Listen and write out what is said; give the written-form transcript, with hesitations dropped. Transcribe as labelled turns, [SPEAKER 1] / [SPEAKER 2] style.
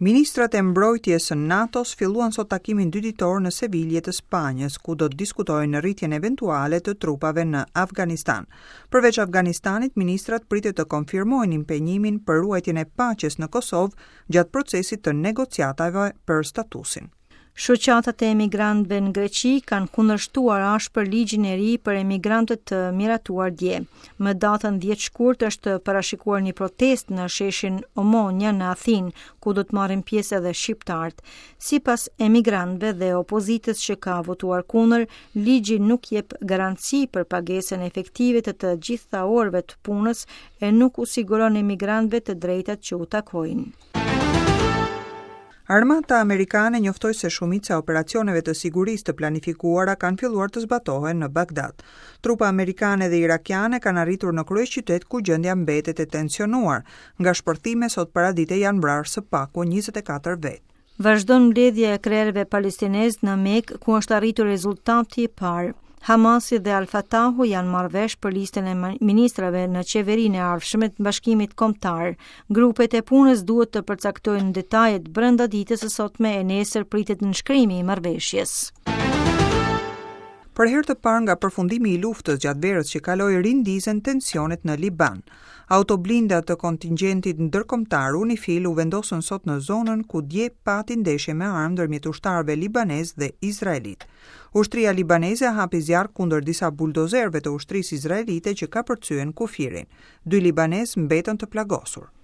[SPEAKER 1] Ministrat e mbrojtjes së NATO-s filluan sot takimin dyditor në Sevilje të Spanjës, ku do të diskutojnë rritjen eventuale të trupave në Afganistan. Përveç Afganistanit, ministrat pritet të konfirmojnë impenjimin për ruajtjen e paqes në Kosovë gjatë procesit të negociatave për statusin.
[SPEAKER 2] Shoqatat e emigrantëve në Greqi kanë kundërshtuar ashpër ligjin e ri për emigrantët të miratuar dje. Më datën 10 shkurt është parashikuar një protestë në sheshin Omonia në Athinë, ku do të marrin pjesë edhe shqiptarët. Sipas emigrantëve dhe opozitës që ka votuar kundër, ligji nuk jep garanci për pagesën efektive të të gjitha orëve të punës e nuk u siguron emigrantëve të drejtat që u takojnë.
[SPEAKER 1] Armata amerikane njoftoi se shumica e operacioneve të sigurisë të planifikuara kanë filluar të zbatohen në Bagdad. Trupa amerikane dhe irakiane kanë arritur në kryeqytet ku gjendja mbetet e tensionuar. Nga shpërthime sot paradite janë vrarë së paku 24 vetë.
[SPEAKER 2] Vazhdon mbledhja e krerëve palestinezë në Mekë, ku është arritur rezultati i parë. Hamasi dhe Al-Fatahu janë marrë vesh për listën e ministrave në qeverinë e ardhshme të Bashkimit Kombëtar. Grupet e punës duhet të përcaktojnë detajet brenda ditës së sotme e nesër pritet nënshkrimi i marrëveshjes.
[SPEAKER 1] Për herë të parë nga përfundimi i luftës gjatë verës që kaloi rindizen tensionet në Liban. Autoblinda të kontingjentit ndërkombëtar UNIFIL u vendosën sot në zonën ku dje pati ndeshje me armë ndërmjet ushtarëve libanezë dhe izraelitë. Ushtria libaneze hapi zjarr kundër disa buldozerëve të ushtrisë izraelite që kapërcyen kufirin. Dy libanezë mbetën të plagosur.